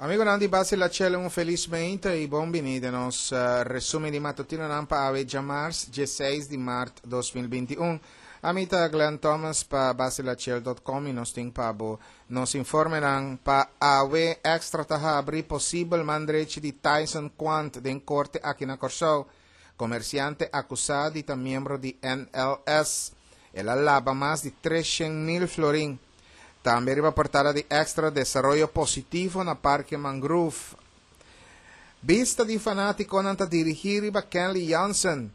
Amigonan di Base La Chele un felis meinta y bon bini den nos resumen di matutinonan pa awe djamars dieseis di mart 2021. Ami ta Glenn Thomas pa baselachel.com y nos tin pa bo nos informenan pa awe. Extra ta habri posibel man drechi di Tyson Quant den korte aki na Kòrsou. Komersiante akusá di ta miembro di NLS. El a laba mas di 300.000 florin. Tambe riba portada di Extra desaroyo positivo na Parke Mangrove. Bista di fanátikonan ta dirigí riba Kenley Jansen.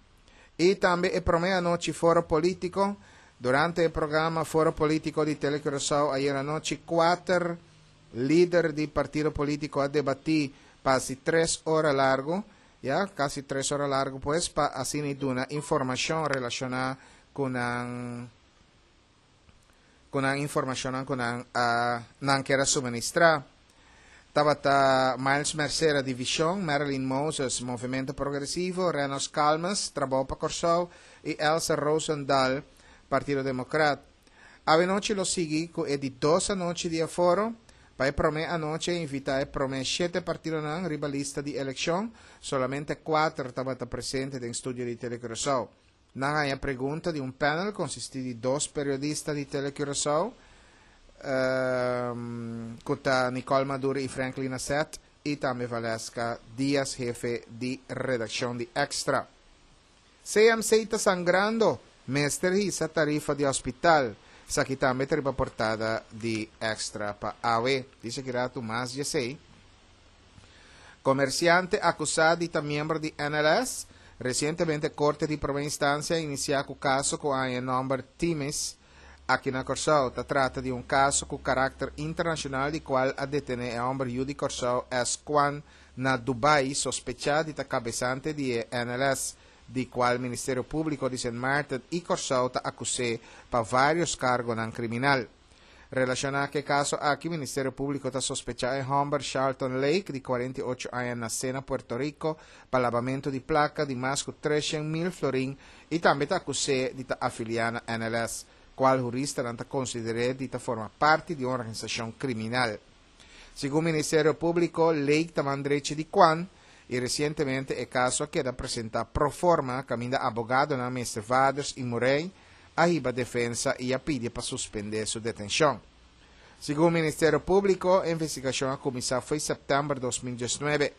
I tambe e promé anochi Foro Polítiko. Durante e programa Foro Polítiko di Telecuraçao ayera anochi kuater lider di partido polítiko a debatí pa hasi tres ora largu, ya, kasi tres ora largu pues, pa asina i duna informashon relashoná ku nan ku nan informashonnan ku nan a nan kier a suministrá. Tabata Miles Mercera di Vishon, Marilyn Moses, Movimento Progresivo, Renos Calmes, Trabou pa Kòrsou, i Elsa Rozendal, Partido Demokrat. Awenochi lo sigui ku e di dos anochi di e foro. Pa e promé anochi a invitá e promé shete partidonan riba lista di elekshon, solamente kuater tabata presente den studio di Telecuraçao. Nan haña pregunta di un panel konsistí di dos periodista di Telecuraçao, ku ta Nicole Maduro i Franklin Asset, i tambe Valeska Diaz, hefe di redakshon di Extra. CMC ta sangrando, mester hisa tarifa di hospital. Esaki tambe ta riba portada di Extra pa awe. Dice ki ratu mas dje esei. Komersiante akusá di ta miembro di NLS, Resientemente Korte di Promé Instansia a inisiá ku kaso ku a haña e nòmber Timis aki na Kòrsou. Ta trata di un kaso ku karakter internashonal di kual a detené e hòmber yu di Kòrsou S. Kwan na Dubai sospechá di ta kabesante di e NLS, di kual Ministerio Públiko di Sint Maarten i Kòrsou ta akus'é pa vários kargonan kriminal. Relashoná ku e kaso aki, Ministerio Públiko ta sospechá e hòmber Charlton Lake, di 48 aña nasé na Puerto Rico, pa labamentu di plaka di mas ku 300.000 florin i tambe ta akus'é di ta afiliá na NLS, kual huristanan ta konsider'é di ta forma parti di un organisashon kriminal. Segun Ministerio Públiko, Lake ta man drechi di Kwan i resientemente e kaso a keda presentá pro forma kaminda abogadonan Mister Vaders i Murray a hiba defensa i a pidi pa suspendé su detenshon. Segun Ministerio Públiko, e investigashon a kuminsá fo'i sèptèmber 2019.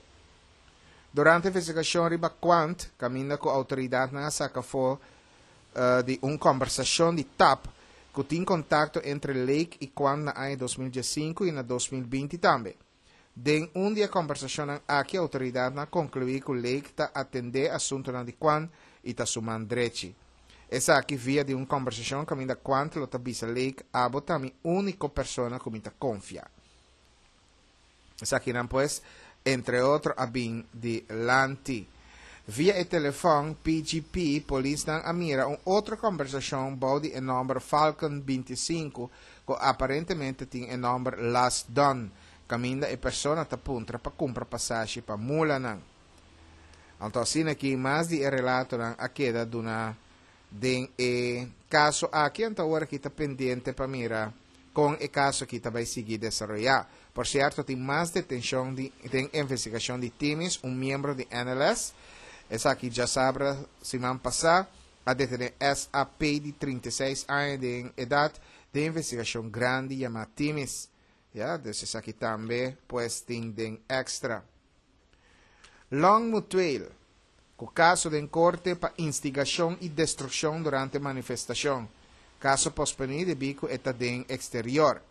Durante investigashon riba Quant, kaminda ku outoridatnan a saka afó di un kòmbersashon di tap ku tin kontakto entre Lake i Quant na aña 2015 i na 2020 tambe. Den un di e kòmbersashonnan aki outoridatnan a konkluí ku Lake ta atendé asuntunan di Quant i ta su man drechi. Esaki via di un kòmbersashon kaminda Quant lo ta bisa Lake abo ta mi úniko persona ku mi ta konfia. Esakinan pues, entre otro a bin dilanti. Via e telefòn PGP polisnan a mira un otro kòmbersashon bou di e nòmber Falcon 25 ku aparentemente tin e nòmber Last Don, kaminda e persona ta puntra pa kumpra pasashi pa mulanan. Anto asina ki mas di e relatonan a keda duna den e kaso aki, anto awor aki ta pendiente pa mira kon e kaso aki ta bai sigui desaroyá. Por sierto tin mas detenshon di den investigashon di Timis, un miembro di NLS. Esaki djasabra siman pasá. A detené SAP di 36 aña den edat den investigashon grandi yamá Timis. Ya, dus esaki tambe pues tin den Extra. Long Mutueel, ku kaso den korte pa instigashon i destrukshon durante manifestashon. Kaso posponí debí ku e ta den eksterior.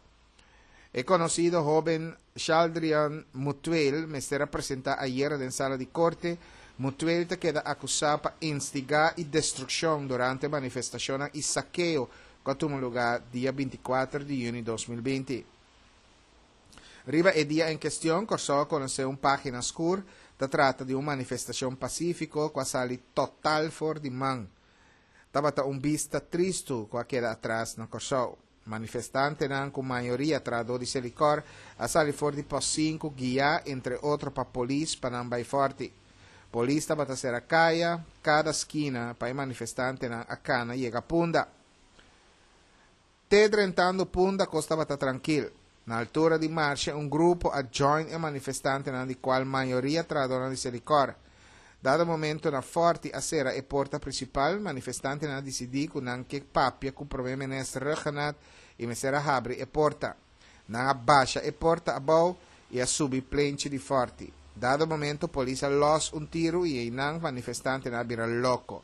E konosido hóben Shaldrian Mutueel mester a presentá ayera den sala di korte. Mutueel ta keda akusá pa instigá i destrukshon durante manifestashonnan i sakeo ku a tuma lugá dia 24 di yüni 2020. Riba e dia en kestion, Kòrsou a konosé un página skur, ta trata di un manifestashon pasífiko ku a sali total for di man. Tabata un bista tristu ku a keda atras na Kòrsou. Manifestantenan, ku mayoria trahadó di Selikor, a sali for di pòst sinku guiá entre otro pa polis pa nan bai fòrti. Polis tabata sera kaya, kada skina, pa e manifestantenan a kana yega Punda. Te drentando Punda kos tabata trankil. Na altura di marshe un grupo a join e manifestantenan di kual mayoria trahadónan di Selikor. Dado momento na Fòrti a sera e porta prinsipal, manifestantenan a disidí ku nan ke papia ku Promé Minister Rhuggenaath i mester a habri e porta. Nan a basha e porta abou i a subi plenchi di Fòrti. Dado momento polis a lòs un tiru i einan manifestantenan a bira loko.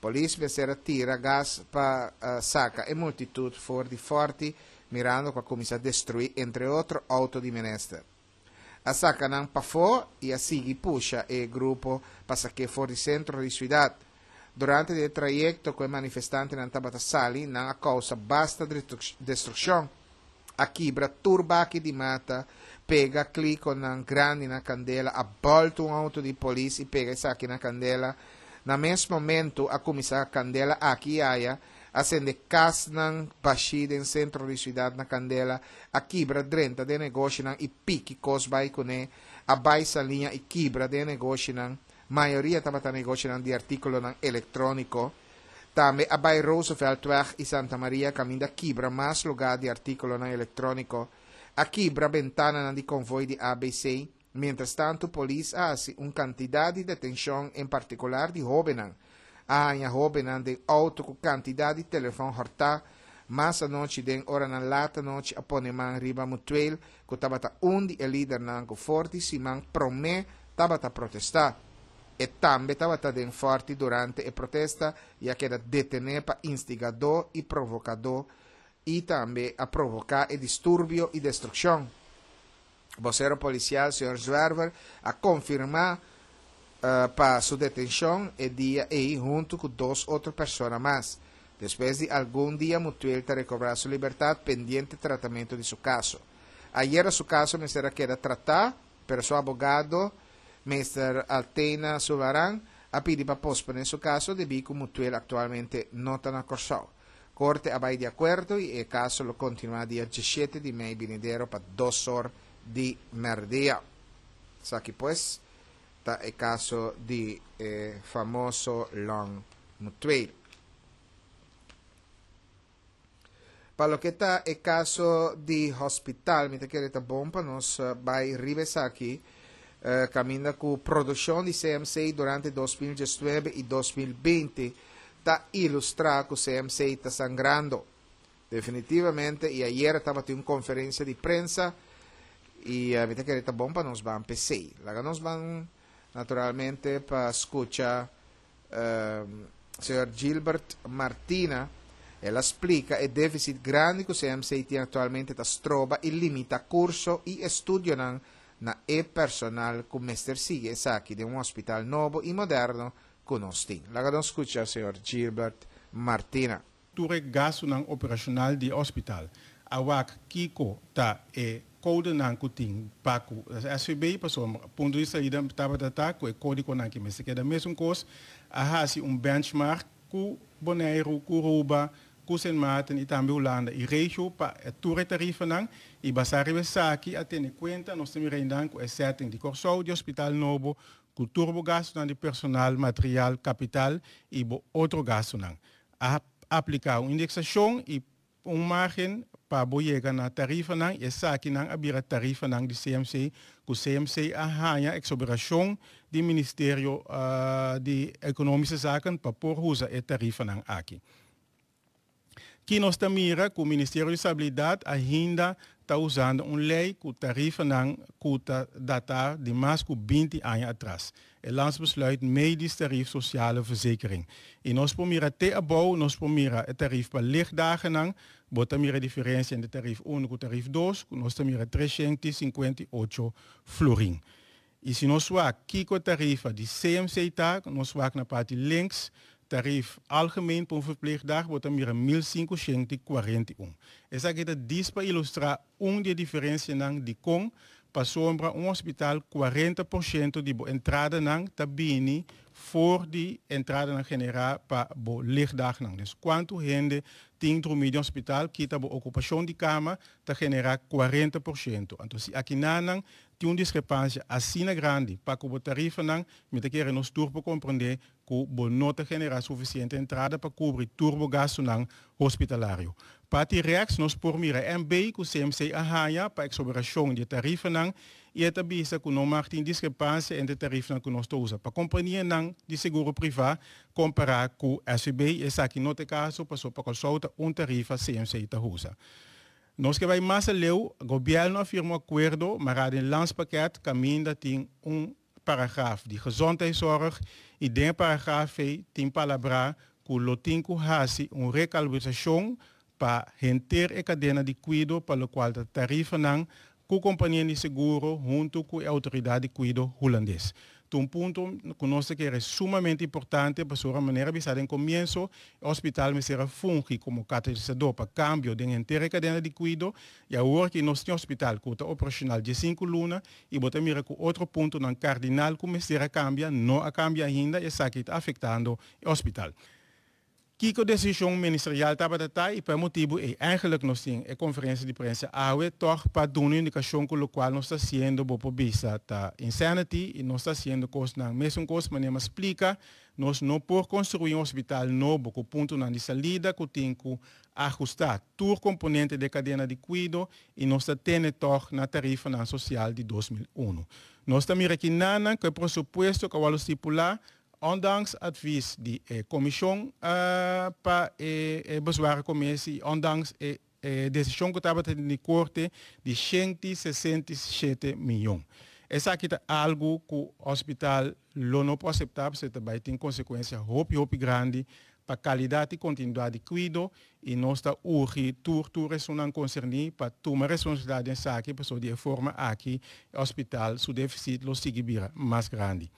Polis mester a tira gas pa saka e multitut for di Fòrti mirando ku a kuminsá destruí entre otro outo di minister. A saka nan pafó i a sigui pusha e grupo pa sak'é for di sentro di suidat. Durante di e trayekto ku e manifestantenan tabata sali nan a kousa basta destrukshon. A kibra tur baki di mata, pega klikonan grandi na kandela, a bòltu un outo di polis i pega esaki na kandela. Na mes momentu a kuminsá kandela aki i aya, a sende kasnan bashí den sentro di siudat na kandela, a kibra drenta den negoshinan i piki kos bai kuné, a bai saliña i kibra den negoshinan, mayoria tabata negoshinan di artíkulonan elektróniko. Tambe a bai Rooseveltweg i Santa Maria kaminda kibra mas lugá di artíkulonan elektróniko, a kibra bentananan di konvoi di ABC. Mientrastantu polis a hasi un kantidat di detenshon en partikular di hóbennan. A haña hóbennan den outo ku kantidat di telefòn hòrtá. Mas anochi den oranan lat anochi a pone man riba Mutueel ku tabata un di e lidernan ku for di siman promé tabata protestá. E tambe tabata den fòrti durante e protesta i a keda detené pa instigadó i provokadó i tambe a provoká e disturbio i destrukshon. Bosero polisial señor Zwerver a konfirmá pa su detenshon e dia ei huntu ku dos otro persona mas. Despues di algun dia Mutueel ta rekobrá su libertat pendiente tratamentu di su kaso. Ayera su kaso mester a keda tratá, pero su abogado, Meester Altena Sulvaran, a pidi pa posponé su kaso debí ku Mutueel aktualmente no ta na Kòrsou. Korte a bai di akuerdo i e kaso lo kontinuá dia diesshete di mei binidero pa dos or di mèrdia. Esaki pues ta e kaso di e famoso Long Mutueel. Pa loke ta e kaso di hospital mi ta kere ta bon pa nos bai riba esaki kaminda ku produkshon di CMC durante 2019 i 2020 ta ilustrá ku CMC ta sangrando. Definitivamente i ayera tabatin un konferensia di prensa i mi ta kere ta bon pa nos ban p'esei. Laga nos ban naturalmente pa skucha Señor Gilbert Martina. El a splika e défisit grandi ku CMC tin aktualmente ta stroba i limita kurso i estudionan na e personal ku mester sigui esaki den un hospital nobo i moderno ku nos tin. Laga nos skucha señor Gilbert Martina. Tur e gastunan operashonal di e hospital. A wak kiko ta e kodenan ku tin pa ku SVB, pasobra punto di salida tabata ta ku e kódigonan ki mester keda mesun kos. A hasi un benchmark ku Boneiru, ku Aruba, ku Sint Maarten i tambe Hulanda i regio pa tur e tarifanan i basá riba esaki a tene kuenta nos ta mira ainda ku e setting di Kòrsou di hospital nobo Ku tur bo gastunan di personal, material, kapital i bo otro gastunan. A apliká un indeksashon i un márgen pa bo yega na tarifanan i esakinan a bira tarifanan di CMC ku CMC a haña eksoberashon di Ministerio di Ekonomische Zaken pa por usa e tarifanan aki. Ki nos ta mira ku Ministerio di Stabilidat ainda ta usando un lei ku tarifanan ku ta datá di mas ku 20 aña atras, e Landsbesluit Medisch Tarief Sociale Verzekering. I nos por mira te abou, nos por mira e tarif pa lichtdagennan, bo ta mira e diferensia entre tarif unu ku tarif dos, ku nos ta mira 358 florin. I si nos wak kiko e tarifa di CMC ta, nos wak na parti links, tarief algemeen pa un verpleegdag, bo ta mira 1541. Esaki ta dis pa ilustrá un di e diferensianan dikon pasobra un hospital 40% di bo entradanan ta bini for di entradanan generá pa bo ligdagnan. Dus kuantu hende tin drumí den hospital, kita bo okupashon di kama, ta generá 40%. Anto si akinanan. Tin un diskrepansia asina grandi pa ku bo tarifanan, mi ta kere nos tur por komprondé ku bo no ta generá sufisiente entrada pa kubri tur bo gastunan hospitalario. Parti rèks nos por mira MB ku CMC a haña pa eksoberashon di e tarifanan i e ta bisa ku no mag tin diskrepansia entre tarifanan ku nos ta usa pa kompanianan di seguro privá kompará ku SVB. Esaki no ta e kaso pasobra pa Kòrsou ta un tarifa CMC ta usa. Nos ke bai mas aleu, gobièrnu a firma un akuerdo mará den Landspakket kaminda tin un paragraf di gezondheidszorg i den e paragraf ei tin palabrá ku lo tin ku hasi un rekalibrashon pa henter e kadena di kuido pa lokual ta tarifanan ku kompania di seguro huntu ku e outoridat di kuido hulandes. Ta un punto ku nos ta kere sumamente importante pasobra manera bisa den komienso e hospital mester a fungi komo katalisadó pa kambio den henter e kadena di kuido i awor ki nos tin hospital ku ta operashonal diesinku luna i bo ta mira ku otro puntonan kardinal ku mester a kambia no a kambia ainda i esaki ta afektando e hospital. Kiko desishon ministerial tabata ta i pa e motibu ei eigenlijk nos tin e konferensia di prensa awe tòg pa duna un indikashon ku lokual nos ta hasiendo bo por bisa ta insanity i nos ta hasiendo kosnan mesun kos manera mi a splika nos no por konstruí un hospital nobo ku puntonan di salida ku tin ku ahustá tur komponente di e kadena di kuido i nos ta tene tòg na tarifanan sosial di 2001. Nos ta mira kinanan ku e presupuesto ku a wòrdu stipulá Ondanks advies di e komishon pa e bezwarencommissie i ondanks e desishon ku tabata tin di korte di 167 miyon. Esaki ta algu ku hospital lo no por aseptá pasobra ta bai tin konsekuensia hopi hopi grandi pa kalidat i kontinuidat di kuido i nos ta urgi tur tur esunnan konserní pa tuma responsabilidat den esaki pasobra di e forma aki e hospital su defisit lo sigui bira mas grandi.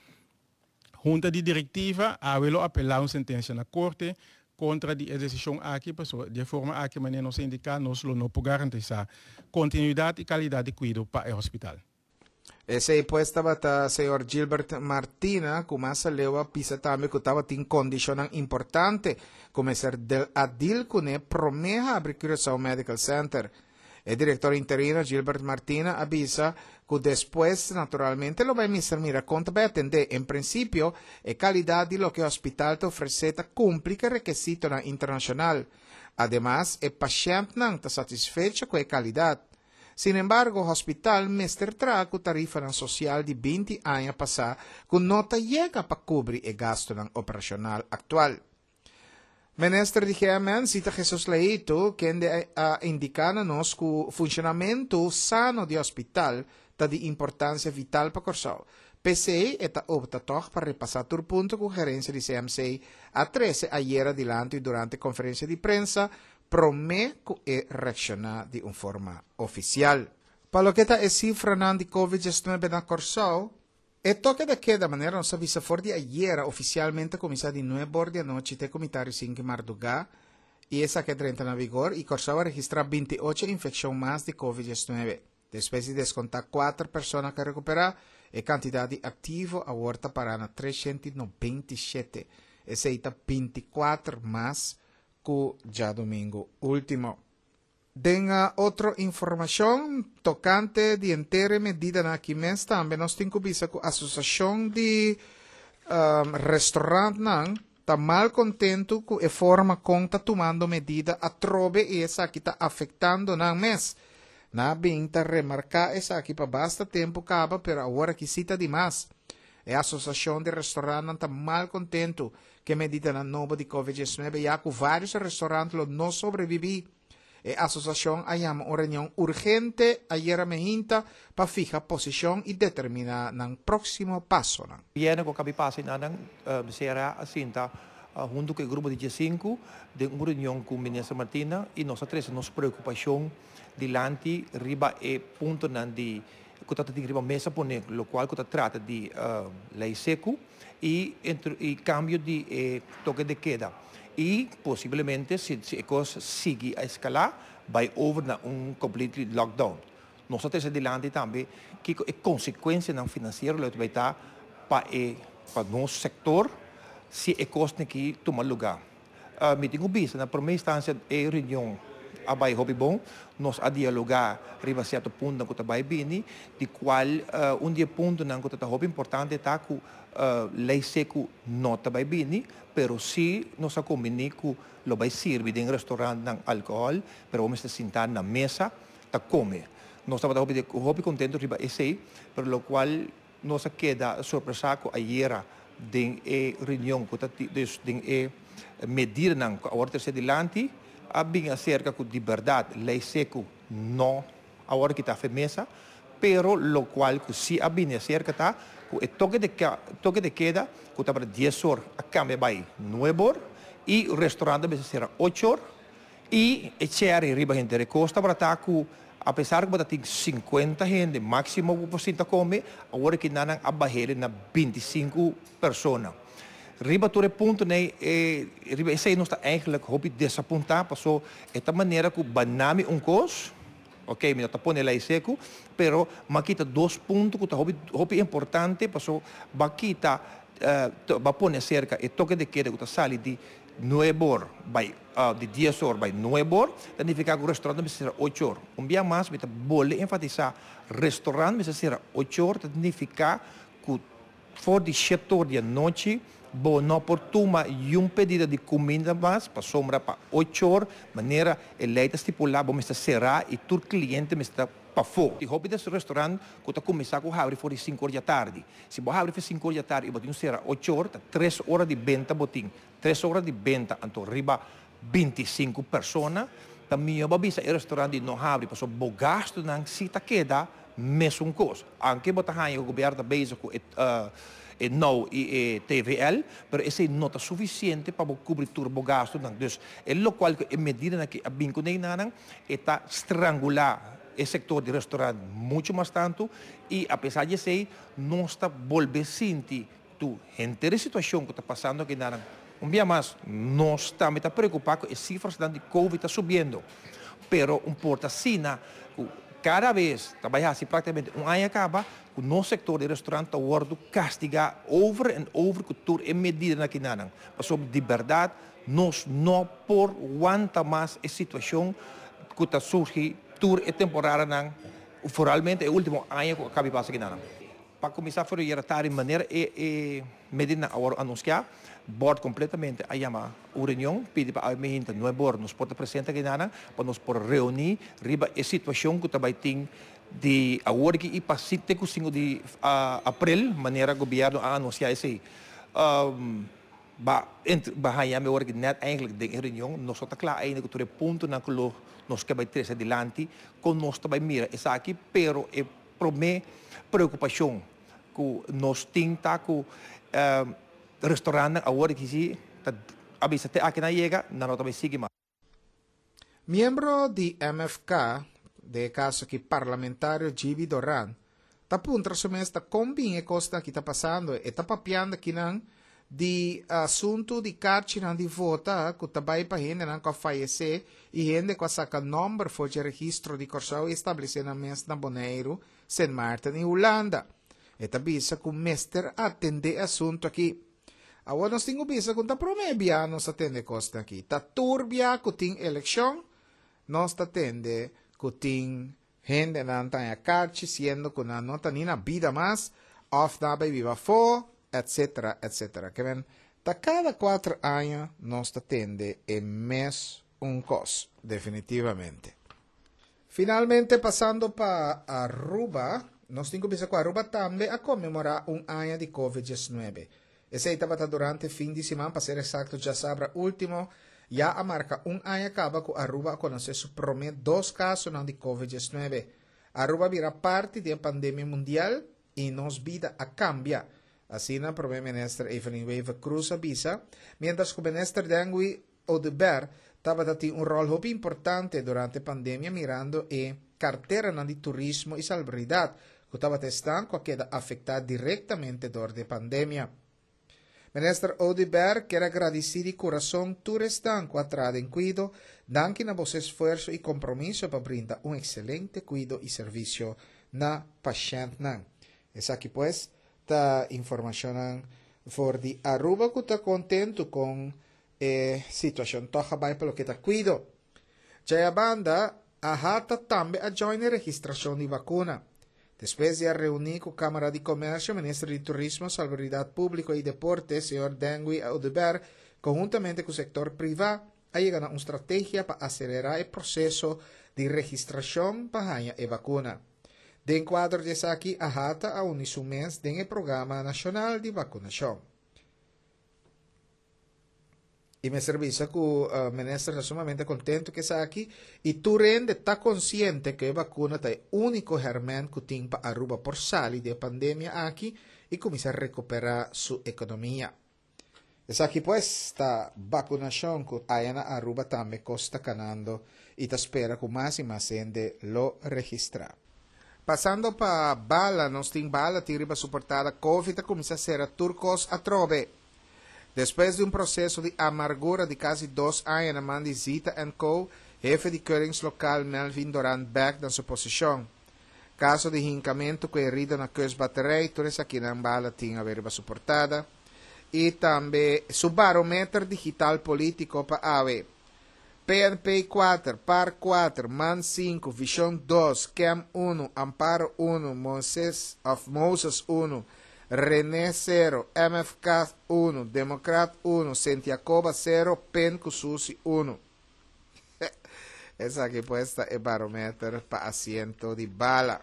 Hunta di direktiva awe lo apelá un sentensia na korte kontra di e desishon aki pasobra di e forma aki manera nos a indiká nos lo no por garantisá kontinuidat i kalidat di kuido pa e hospital. Esei pues tabata señor Gilbert Martina ku mas aleu a bisa tambe ku tabatin kondishonnan importante ku mester del a deal kuné promé habri Curaçao Medical Center. E direktor interino Gilbert Martina a bisa ku despues naturalmente lo bai mester mira kon ta bai atendé. En prinsipio e kalidat di loke hospital ta ofresé ta kumpli ku e rekesitonan internashonal. Ademas e pashèntnan ta satisfecho ku e kalidat. Sinembargo hospital mester traha ku tarifanan sosial di 20 aña pasá ku no ta yega pa kubri e gastunan operashonal aktual. Minister di GMN, Zita Jesus Leito, kende a indiká na nos ku funshonamentu sano di hospital ta di importansia vital pa Kòrsou. P'esei e ta opta tòg pa repasá tur punto ku gerensia di CMC a trese ayera dilanti durante konferensia di prensa promé ku e reakshoná di un forma ofisial. Pa loke ta e sifranan di Covid 19 na Kòrsou, E toke de keda, manera nos a bisa for di ayera, ofisialmente a kuminsá di nuebe or di anochi te ku mitad di sinku mardugá i esaki a drenta na vigor i Kòrsou a registrá 28 infekshon mas di Covid 19. Despues di deskontá kuater persona ku a rekuperá, e kantidat di aktivo awor ta pará na 397. Esei ta 24 mas ku djadumingu último. Den otro informacion tocante di henter e medidanan aki mes tambe nos tin cu bisa cu Asociacion di Restaurantnan ta mal contento cu e forma con ta tumando medida atrobe y esaki ta afectando nan mes. Nan a bin ta remarca esaki pa basta tempo caba pero awor aki si ta di mas. E Asociacion di Restaurantnan ta mal contento cu e medidanan nobo di Covid 19 ya cu varios restaurant lo no sobrevivi. E asosiashon a yama un reunion urgente ayera mehinta pa fiha posishon i determiná nan próksimo pasonan. Gobierno cu a cabi pasa enanan CRA a sinta hunto cu e grupo di G-sinku den un reunion cu Minister Martina y nos a trece nos preocupacion dilanti riba e puntonan di cu ta tin riba mesa pone locual cu ta trata di ley seco y cambio di e toque de queda. Y posiblemente si e cos sigui a escala bay over na un completely lockdown. Nos ta trece dilanti tambe kico e consecuencianan financiero lo bay ta pa e pa nos sector si e cosnan aki tuma lugar. Mi tin cu bisa na prome instancia e reunion a bai hopi bon. Nos a dialogá riba sierto puntonan ku ta bai bini, di kual un di e puntonan ku ta ta hopi importante ta ku lei seku no ta bai bini, pero sí nos a kombiní ku lo bai sirbi den restaurantnan alkohòl, pero bo mester sintá na mesa ta kome. Nos tabata hopi hopi kontentu riba esei, pero lokual nos a keda sorpresá ku ayera den e reunion ku ta dus den e medidanan ku awor ta ser dilanti a bin aserka ku di bèrdat lei seku no a wòrdu kitá af'e mesa, pero lokual ku si a bini aserka ta ku e toke de toke de keda ku tabata dies or a kambia bai nuebe or i restaurant a mester sera ocho or. I e cherry riba henter e kos tabata ta ku apesar ku bo ta tin sinkuenta hende máksimo ku por sinta kome, awor aki nan nan a bah'é na bintisinku persona. Riba tur e puntonan ei, e riba esei nos ta eigentlik hopi desapuntá paso e ta manera ku banami un kos, oke mi no ta pone lei seku, pero m'a kita dos punto ku ta hopi hopi importante paso b'a kita b'a pone aserka e toke de keda ku ta sali di nuebe or bai di dies or bai nuebe or, ta nifiká ku restaurant ta mester sera ocho or. Un bia mas mi ta bolbe enfatisá, restaurant mester sera ocho or ta nifiká ku for di shete or di anochi bo no por tuma yun pedida di kuminda mas pasobra pa ocho or manera e lei ta stipulá bo mester será i tur kliente mester ta pafó. Tin hopi des restaurant ku ta kuminsá ku habri for di sinku or di atardi. Si bo habri for sinku or di atardi i bo tin sera ocho or ta tres ora di benta bo tin. Tres ora di benta anto riba 25 persona, ta mihó bo bisa e restaurant di no habri pasobra bo gastunan si ta keda mesun kos. Aunke bo ta haña ku gobièrnu ta bezig ku e e now i e TVL, pero esei no ta sufisiente pa bo kubri tur bo gastunan. Dus e lokual ku e medidanan ku a bin kuné nan e ta strangulá e sektor di restaurant muchu mas tantu i apesar di esei nos ta bolbe sinti Tu henter e situacion cu ta pasando aki nanan. Un bia mas, nos tambe ta preocupa cu e cifrasnan di covid ta subiendo. Pero un por ta asina cu cada bes ta bay haci practicamente un aña caba cu nos sector di restaurant ta wordo castiga over en over cu tur e medidanan aki nanan. Pasobra di berdad nos no por wanta mas e situacion cu ta surgi tur e temporadanan, vooralmente e ultimo aña cu a caba di pasa aki nanan. Pa kuminsá for di atardi manera e e medidanan a wòrdu anunsiá, bòrd kompletamente a yama un reunion pidi pa awe mehinta nuebe ora nos por ta presente akinanan pa nos por reuní riba e situashon ku ta bai tin di awor aki i pa te ku sinku di aprel manera gobièrnu a anunsiá esei. Ba entre ba haña mi ora ki nèt eigenlijk den e reunion nos no ta kla ainda ku tur e puntonan ku lo nos ke bai trese dilanti kon nos ta bai mira esaki pero e promé preokupashon ku nos tin ta ku restaurantnan awor di si ta a bisa te aki nan yega nan no ta bai sigui mas. Miembro di MFK, den e kaso aki parlamentario Gibi Doran, ta puntra su mes ta kon bin e kosnan aki ta pasando. E ta papiando akinan di asuntu di karchinan di vota ku ta bai pa hendenan ku a fayesé i hende ku a saka nòmber for dje registro di Kòrsou i establesé nan mes na Boneiru, Sint Maarten i Hulanda. E ta bisa ku mester atendé e asuntu aki. Awor nos tin ku bisa ku ta promé bia nos ta tende kosnan aki. Ta tur bia ku tin elekshon nos ta tende ku tin hendenan ta haña karchi siendo ku nan no ta ni na bida mas òf nan a bai biba afó, etsetera, etsetera. Ke men ta kada kuater aña nos ta tende e mes un kos, definitivamente. Finalmente pasando pa Aruba, nos tin cu bisa cu Aruba tambe a conmemora un aña di Covid 19. Esey tabata durante fin di siman, pa ser exacto djasabra ultimo, ya a marca un aña caba cu Aruba a conoce su prome dos casonan di Covid 19. Aruba a bira parti di e pandemia mundial y nos bida a cambia. Asina Prome Minister Evelyn Wever-Croes a bisa, mientras cu Minister Dengui Oduber tabata tin un ròl hopi importante durante pandemia mirando e karteranan di turismo i salubridad ku tabata esnan ku a keda afektá direktamente dor di e pandemia. Minister Oduber kier a gradisí di kurason tur esnan ku a traha den kuido, danki na boso esfuerso i kompromiso pa brinda un ekselente kuido i servisio na pashèntnan. Esaki pues ta informashonnan for di Aruba ku ta kontentu kon E situacion toch a bay pa loke ta cuido. Djayabanda, AHATA tambe a join e registrashon di vakuna. Despues di a reuní ku Kámara di Komersio, Minister di Turismo, Salubridad Públiko i Deporte, señor Dengui Oduber, konhuntamente ku sektor privá, a yega na un strategia pa aselerá e proseso di registrashon pa haña e vakuna. Den kuadro di esaki, AHATA a uni su mes den e programa nashonal di vakunashon. I mester bisa ku minister ta sumamente kontentu ku esaki i tur hende ta konsiente ku e bakuna ta e úniko hèrmènt ku tin pa Aruba por sali di e pandemia aki i kuminsá rekuperá su ekonomia. Esaki pues ta bakunashon ku aya na Aruba tambe kos ta kanando i ta spera ku mas i mas hende lo registrá. Pasando pa bala, nos tin bala tin riba su portada Covid a kuminsá sera tur kos atrobe. Despues di un proseso di amargura di kasi dos aña na man di Zita and Co, hefe di keuringslokaal Melvin Doran bek na su posishon. Kaso di hinkamentu ku herida na Kustbatterij, tur esakinan bala tin awe riba su portada. I tambe su barometer digital politiko pa awe. PNP kuater, par kuater, man sinku, Vishon dos, Kem unu, Amparo unu, Moises of Moses unu, Rene sero, MFK unu, Demokrat unu, Sint Jacoba sero, Pen ku Susi unu. Esaki pues ta e barometer pa asiento di bala.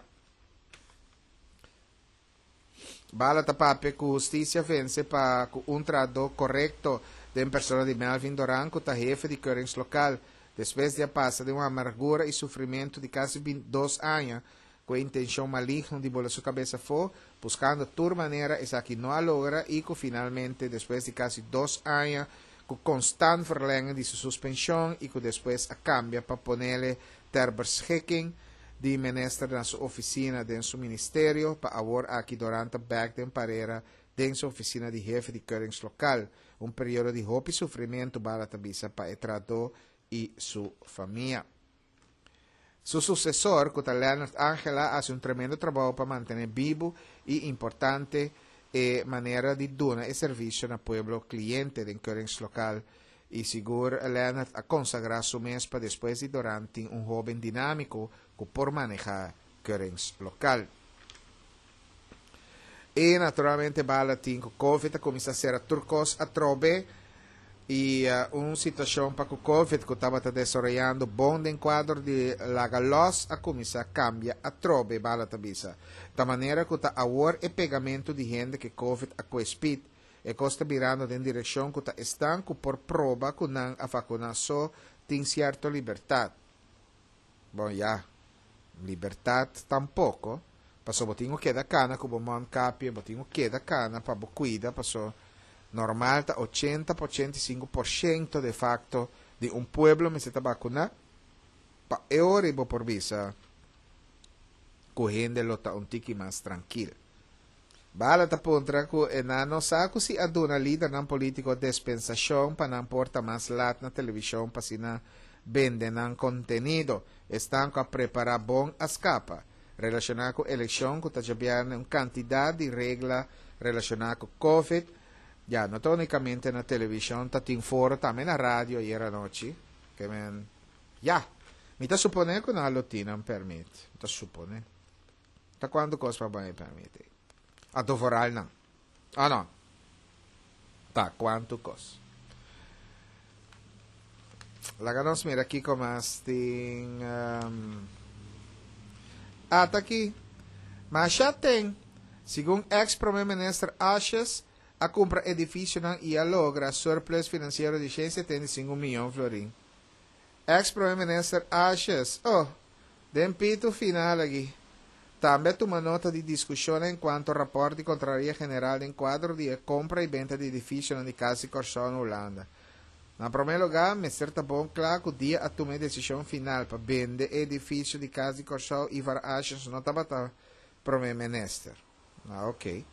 Bala ta papia ku hustisia vense pa ku un trahadó korekto den persona di Melvin Doran ku ta hefe di keuringslokaal. Despues di a pasa den un amargura i sufrimentu di kasi 22 aña ku e intenshon maligno di bola su kabes afó, buskando tur manera esaki no a logra i ku finalmente despues di kasi dos aña ku konstant verlenging di su suspenshon i ku despues a kambia pa ponele ter beschikking di minister na su oficina den su ministerio pa awor aki Doran ta bek den parera den su oficina di hefe di keuringslokaal. Un periodo di hopi sufrimento bala ta bisa pa e trahadó i su famia. Su sucesor, cu ta Leonard Angela, a haci un tremendo trabou pa mantene bibu i importante e manera di duna e servicio na pueblo cliente den keuringslokaal. I sigur Leonard a konsagrá su mes pa despues di Doran tin un hóben dinámiko ku por manehá keuringslokaal. I naturalmente bala tin ku Covid a kuminsá sera tur kos atrobe i un situashon pa ku Covid ku tabata desaroyando bon den kuadro di laga lòs a kuminsá kambia atrobe, bala ta bisa. Ta manera ku ta awor e pegamentu di hende ku Covid a kue spit. E kos ta birando den direkshon ku ta esnan ku por proba ku nan a vakuná so tin sierto libertat. Bon ya, libertat tampoko, paso bo tin ku keda kana ku bo mondkapje, bo tin ku keda kana pa bo kuida, paso normal ta ochenta pa 85% de fakto di un pueblo mester ta bakuná pa e ora ei bo por bisa ku hende lo ta un tiki mas trankil. Bala ta puntra ku e nan no sa ku si a duna lidernan polítiko despensashon pa nan por ta mas lat na televishon pa asina bende nan kontenido. Esnan ku a prepará bon a skapa. Relashoná ku elekshon ku ta djabièrnè un kantidat di regla relashoná ku Covid, ya no ta únikamente na televishon, ta tin foro tambe na radio ayer anochi. Ke men, ya, mi ta suponé ku nan lo tin nan pèrmit. Mi ta suponé. Ta cuanto cos pa bay permiti? Anto vooral nan. Oh no. Ta cuanto cos. Laga nos mira kiko mas tin. Um, ata aki. Masha ten. Segun ex-prome minister Asjes, a cumpra edificionan y a logra surplus financiero di 175 miljoen florin. Ex-prome minister Asjes, oh, Den pito final aki, tambe a tuma nota di diskushonnan enkuanto rapòrt di Kontraloria General den kuadro di e kompra i benta di edifisionan di Kas di Kòrsou na Hulanda. Na promé lugá, mester ta bon kla ku dia a tuma e desishon final pa bende e edifisio di Kas di Kòrsou, Ivar Asjes no tabata promé minister. Ah, ok.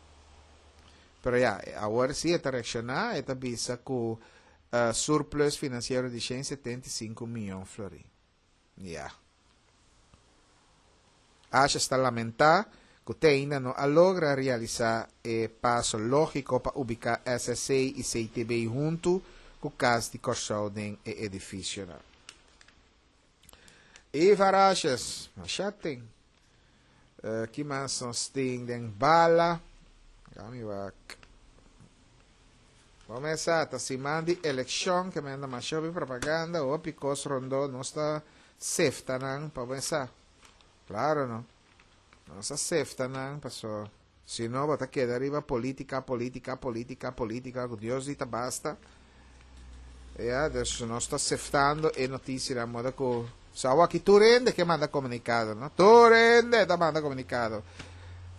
Pero ya, awor si e ta reakshoná, e ta bisa ku surplus finansiero di 175 mion florin. Ya. Asjes ta lamentá ku te ainda no a logra realisá e paso lógiko pa ubiká SSC i CTB huntu ku Kas di Kòrsou den e edifisionan. Iva Rashes, masha tin. Ki mas nos tin den bala? Gami wak. Bo mesa ta siman di elekshon ke menda masha hopi propaganda, hopi kos rondó, nos ta sefta nan pa bo mesa. Klaro no. Nos ta sefta nan paso si no bo ta keda riba politica, politica, politica, politica ku Dios di ta basta. Ya, dus nos ta seftando e noticianan moda ku sa awor aki tur hende ke manda komunikado, no? Tur hende ta manda komunikado.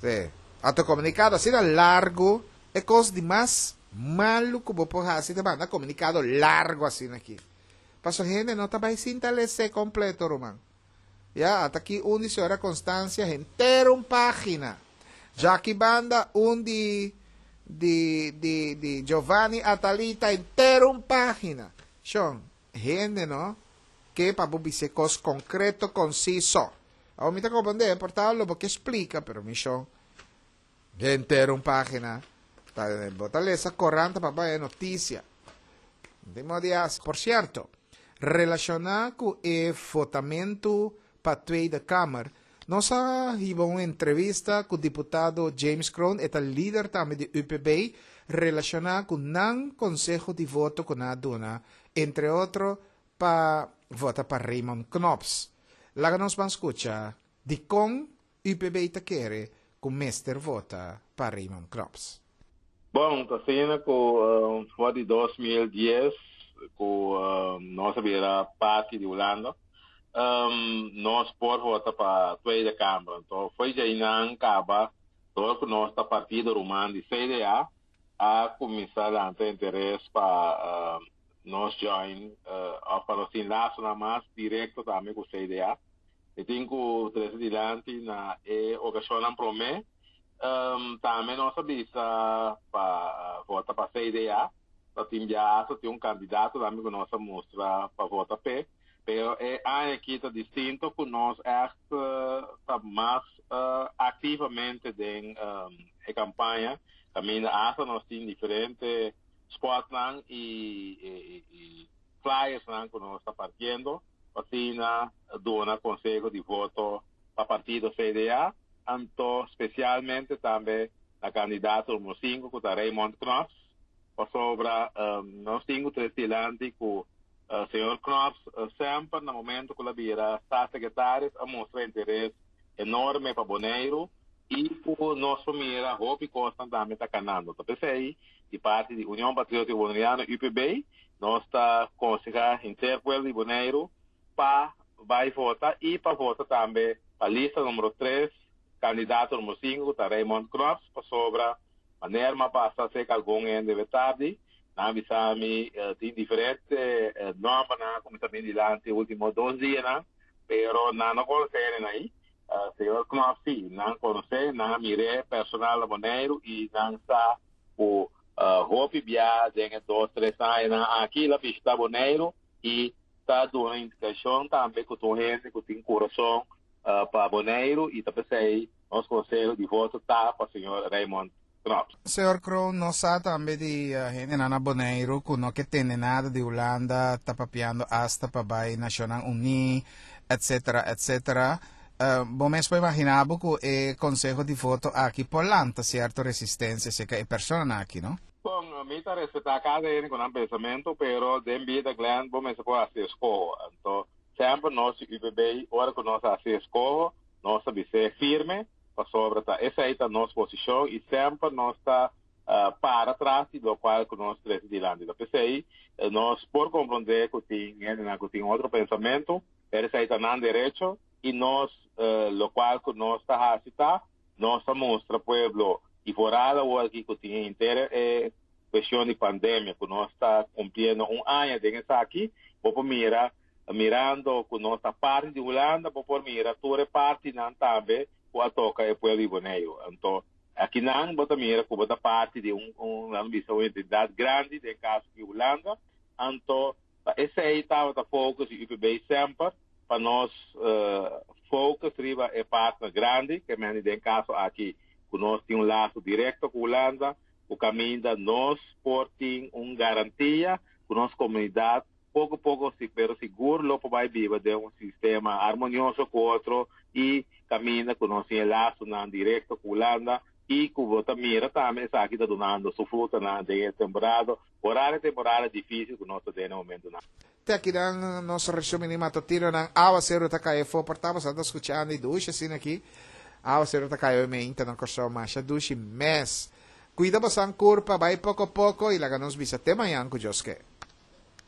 Sí. Anto komunikado asina largu, e kos di mas malu ku bo por hasi ta manda komunikado largu asina aki. Paso hende no ta bai sinta lese kompleto, ruman. Ya, ata aki un di señora Constancia henter un pagina. Jackie Banda un di di di di Giovanni Atalita henter un pagina. Shon, hende no ke pa bo bis'é kos konkreto, konsiso. Awor mi ta komprendé, por ta lo bo ke splika, pero mi shon, henter un pagina. Ta, bo ta lesa korant pa bo haña notisia. Di modo di hasi. Por sierto, relashoná ku e votamentu pa Tweede Kamer, nos a hiba un entrevista ku diputado James Kroon, e ta lider tambe di UPB, relashoná ku nan konseho di voto ku nan a duna, entre otro pa vota pa Raymond Knops. Laga nos ban skucha dikon UPB ta kere ku mester vota pa Raymond Knops. Bon, ta asina ku for di 2010 ku nos a bira parti di Hulanda, nos por vota pa Tweede Kamer. Anto foi djainan kaba dor ku nos ta partido ruman di CDA a kuminsá lanta interes pa nos join òf pa nos tin lasonan mas direkto tambe ku CDA. Mi tin ku trese dilanti na e okashonnan promé. Tambe nos a bisa pa vota pa CDA. Ta tin bia asta tin un kandidato tambe ku nos a mustra pa vota p'e. Pero e aña aki ta distinto ku nos ègt ta mas aktivamente den e kampaña. Kaminda asta nos tin diferente spòtnan i flyersnan ku nos ta partiendo. Asina duna konseho di voto pa partido CDA, anto spesialmente tambe na kandidato numero sinku ku ta Raymond Knops, pasobra nos tin ku trese dilanti ku señor Knops semper na momento ku el a bira staatssecretaris a mustra interes enorme pa Boneiru i ku nos por mira hopi kosnan tambe ta kanando. Ta p'esei di parti di Union Patriótiko Boneriano, UPB, nos ta konsehá henter pueblo di Boneiru pa bai vota i pa vota tambe pa lista numero tres, kandidato numero sinku ku ta Raymond Knops, pasobra manera mi a pasa serka algun hende be tardi, nan a bisa mi tin diferente nòmbernan a kuminsá bini dilanti último dos dianan, pero nan no konosé hende nan ei. Señor Knops sí, nan konosé, nan a mir'é personal na Boneiru i nan sa ku hopi bia den e dos tres añanan aki el a bishitá Boneiru i ta duna indikashon tambe ku ta un hende ku tin kurason pa Boneiru i ta p'esei nos konseho di voto ta pa señor Raymond Knops. Señor Kroon, nos sa tambe di hendenan na Boneiru ku no ke tende nada di Hulanda, ta papiando asta pa bai Nashonnan Uní, etcetera, etcetera. Bo mes por imaginá bo ku e konseho di voto aki por lanta sierto resistensia serka e personanan aki, no? Bon, mi ta respetá kada hende ku nan pensamentu, pero den bida, Glenn, bo mester por hasi eskoho. Anto, semper nos di UPB, ora ku nos hasi eskoho, nos ta bis'é firme, pasobra ta esei ta nos posishon i semper nos ta para tras di lokual ku nos trese dilanti. Ta p'esei nos por komprondé ku tin hendenan ku tin otro pensamentu, pero esei ta nan derecho i nos lokual ku nos ta hasi ta nos ta mustra pueblo i foral awor aki ku tin henter e kuestion di pandemia ku nos ta kumpliendo un aña den esaki, bo por mira mirando ku nos ta parti di Hulanda bo por mira tur e partinan tambe ku a toka e pueblo di Boneiru. Anto akinan bo ta mira ku bo ta parti di un un laat bisa un entidat grandi den kaso di Hulanda. Anto pa esei tabata focus di UPB semper pa nos focus riba e partner grandi ke mende den kaso aki ku nos tin un laso direkto ku Hulanda ku kaminda nos por tin un garantia ku nos komunidat. Poko poko si pero sigur lo por bai biba den un sistema armonioso ku otro i kaminda ku nos tin e lasonan direkto ku Hulanda i ku bo ta mira tambe esaki ta dunando su frutanan den e temporada, orario temporada difísil ku nos ta den e momentunan. Te akinan nos resumen di matutinonan. Awaseru ta kai afó por ta boso ta skucha Andy dushi asina aki. Awaseru ta kai hoy meinta na Kòrsou masha dushi mes. Kuida bosan kurpa, bai poko poko i laga nos bisa te mañan ku Dios ke.